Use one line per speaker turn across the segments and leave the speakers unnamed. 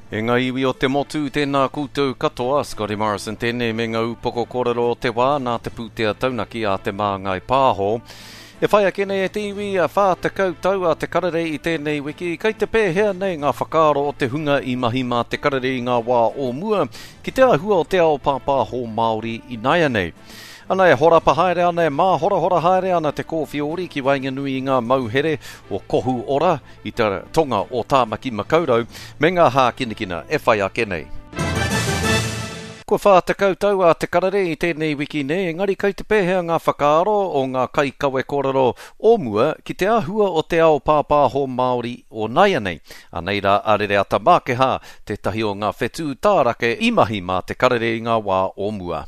E ngā iwi o te motu, tēnā koutou katoa, Scotty Morrison tēnei me ngā upoko kōrero o te wā nā te pūtea taunaki a Te Māngai Pāho. E whai ake nei e te iwi, 40 tau a Te Karere i tēnei wiki, kei te pēhea nei ngā whakaaro o te hunga i mahi mā Te Karere i ngā wā o mua ki te āhua o te ao pāpāho Māori ināianei. Ana e horapa haere ana, e māhorahora haere ana te kōwhiori ki waenganui i ngā mauhere o Kohu Ora i te tonga o Tāmaki Makaurau me ngā hākinakina e whai ake nei. Kua 40 tau a Te Karere i tēnei wiki nei, engari kei te pēhea ngā whakaaro o ngā kaikawe kōrero o mua ki te āhua o te ao pāpāho Māori o nāianei? Anei rā a Rereata Mākehā, tētahi o ngā whetū tārake i mahi mā Te Karere i ngā wā o mua.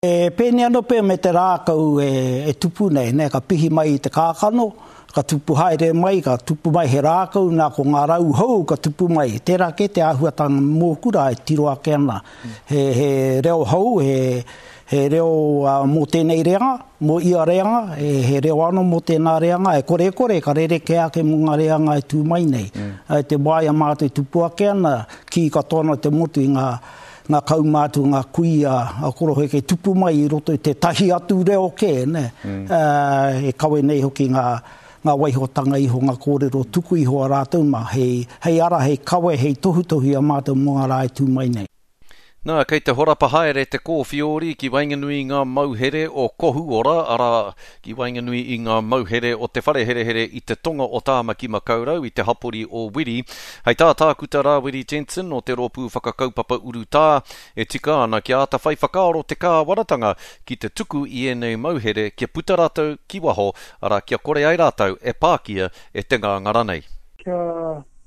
E pēnei anō pea me te rākau e tupu nei, nē, ka pihi mai i te kākano, ka tupu haere mai, ka tupu mai he rākau, nā, ko ngā rau hou ka tupu mai. Tērā kē te āhuatanga mōku rā e tiro ake ana. He, he reo hou, he, he reo mō tēnei reanga, mō ia reanga, he, he reo anō mō tēnā reanga, e kore e kore ka rerekē ake mō ngā reanga e tū mai nei. I te wā i a mātou e tupu ake ana, kī katoa ana te motu i ngā, ngā kaumātua, ngā kuia a koroheke tupu mai i roto i tētahi atu reo kē, nē. Mm. E kawe nei hoki ngā, ngā waihotanga iho, ngā kōrero tuku iho a rātou mā, hei, hei ara, hei kawe, hei tohutohu i a mātou mō ngā rā e tū mai nei.
Nā, kei te horapa haere te kōwhiori ki waenganui i ngā mauhere o Kohuora, arā, ki waenganui i ngā mauhere o te whare herehere i te tonga o Tāmaki Makaurau i te hapori o Wiri. Hei tā Tākuta Rāwiri Jensen o te Rōpū Whakakaupapa Urutā, e tika ana kia āta whai whakaaro te kāwanatanga ki te tuku i ēnei mauhere kia puta rātou ki waho, arā, kia kore ai rātou e pākia e te ngāngara nei.
Kia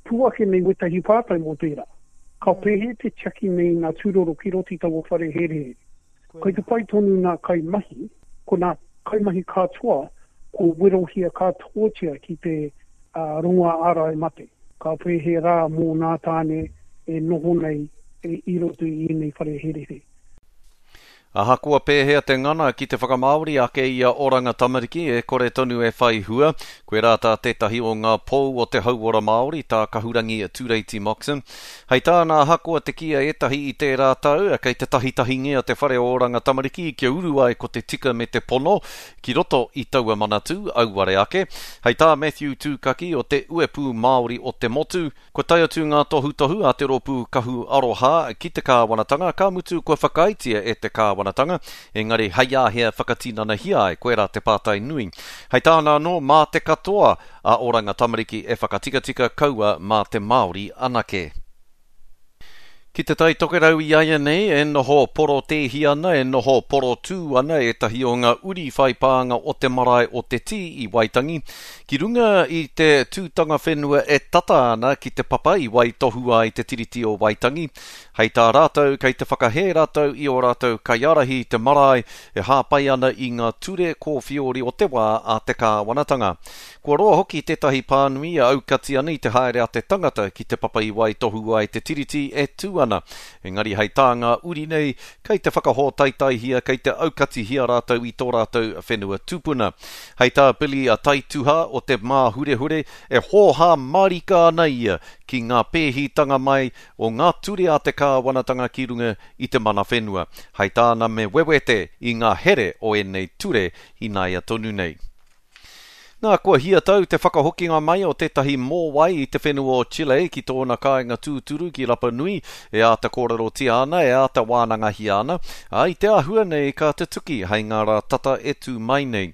pū ake nei wētahi pātai mō tērā. Ka pēhea te tiaki nei i ngā tūroro ki roto i taua whare herehere? Kai te pai tonu ngā kaimahi, ko ngā kaimahi katoa kua werohia katoatia ki te rongoā ārai mate. Ka pēhea rā mō ngā tāne e noho nei i roto i ēnei whare herehere?
Ahakoa pēhea te ngana ki te whakamāori ake i a Oranga Tamariki, e kore tonu e whai hua. Koirā tā tētahi o ngā pou o te hauora Māori, tā Kahurangi Tureiti Moxon. Hei tāna, ahakoa te kī a ētahi i tērā tau, kei te tahitahingia te whare o Oranga Tamariki kia uru ai ko te tika me te pono ki roto i taua manatū, auare ake. Hei tā Matthew Tūkaki o te Uepū Māori o te Motu, Kua tae atu ngā tohutohu a te rōpū Kahu Aroha ki te kāwanatanga, ka mutu kua whakaaetia e te kāwanatanga, engari hei āhea whakatinanahia ai, koirā te pātai nui. Hei tāna anō, mā te katoa a Oranga Tamariki e whakatikatika kaua mā te Māori anake. Ki Te Tai Tokerau iaianei, e noho porotēhi ana, e noho porotū ana ētahi o ngā uri whai pānga o te marae o Te Tī i Waitangi, ki runga i te tūtanga whenua e tata ana ki te papa i waitohua ai te Tiriti o Waitangi. Hei tā rātou, kei te whakahē rātou i ō rātou kaiārahi i te marae e hāpai ana i ngā ture kōwhiori o te wā a te kāwanatanga. Kua roa hoki tētahi pānui e aukati ana i te haere a te tangata ki te papa i waitohu ai te Tiriti e tū ana. Engari hei tā ngā uri nei, kei te whakahōtaetaihia, kei te aukatihia rātou i tō rātou whenua tupuna. Hei tā Billy Taituha o Te Māhurehure, e hōhā mārika ana ia ki ngā pēhitanga mai o ngā ture a te kāwanatanga ki runga i te mana whenua. Hei tāna me wewete i ngā here o ēnei ture ināia tonu nei. Nā, kua hia tau te whakahokinga mai o tētahi mōwai i te whenua o Chile ki tōna kāinga tūturu ki Rapa Nui, e āta kōrerotia ana, e āta wānangahia ana, ā, i te āhua nei ka tutuki hei ngā rā tata e tū mai nei.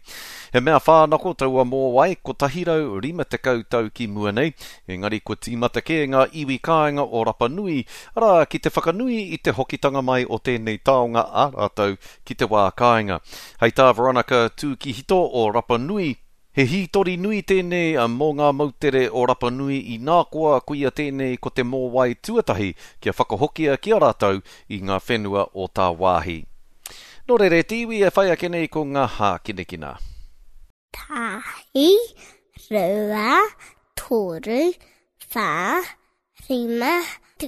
He mea whānako taua mōwai 150 tau ki mua nei, engari kua tīmata kē ngā iwi kāinga o Rapa Nui, arā, ki te whakanui i te hokitanga mai o tēnei taonga a rātou ki te wā kāinga. Hei tā Veronica Tūkihito o Rapa Nui, He hītori nui tēnei mō ngā moutere o Rapa Nui inā koa koia tēnei ko te mōwai tuatahi kia whakahokia ki a rātou i ngā whenua o tāwāhi. Nō reira e te iwi e whai ake nei ko ngā hākinakina.
Tahi, rua, toru, whā, rima,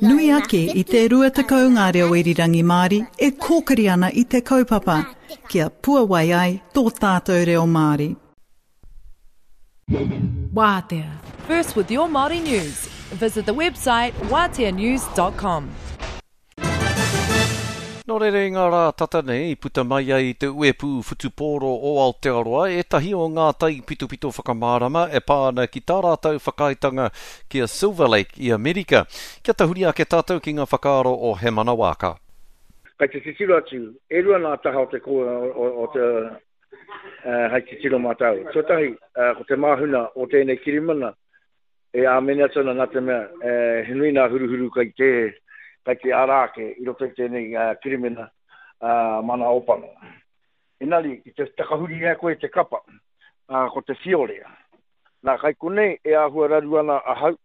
Nui ake i te 20 ngā reo irirangi Māori e kōkiri ana i te kaupapa kia puawai ai tō tātou reo Māori.
Wātea. First with your Māori news. Visit the website wateanews.com.
Nō reira i ngā rā tata nei i puta mai ai i te uepū whutupōro o Aotearoa ētahi o ngā taipitopito whakamārama e pā ana ki tā rātou whakaaetanga ki a Silver Lake i Amerika. Kia tahuri ake tātou ki ngā whakaaro o Hemana Waaka.
Kai te titiro atu, e rua ngā taha o te o te hei titiro mā tāua. Tuatahi, ko te māhuna o tēnei kirimana E āmene atu ana nā te mea he nui nā huruhuru kai te, kai te ara ake i roto i tēnei kirimina mana ōpango. Engari, ki te takahuri ai koe i te kapa, ko te whiore. Nā, kai konei e āhua raru ana ahau.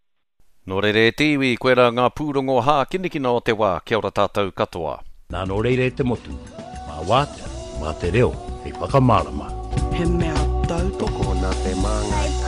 Nō reira e te iwi, koirā ngā pūrongo hākinakina o te wā, kia ora tātou katoa.
Nā nō reira e te motu, mā Wātea, mā te reo hei whakamārama.
He mea tautoko. Tokona te māngai.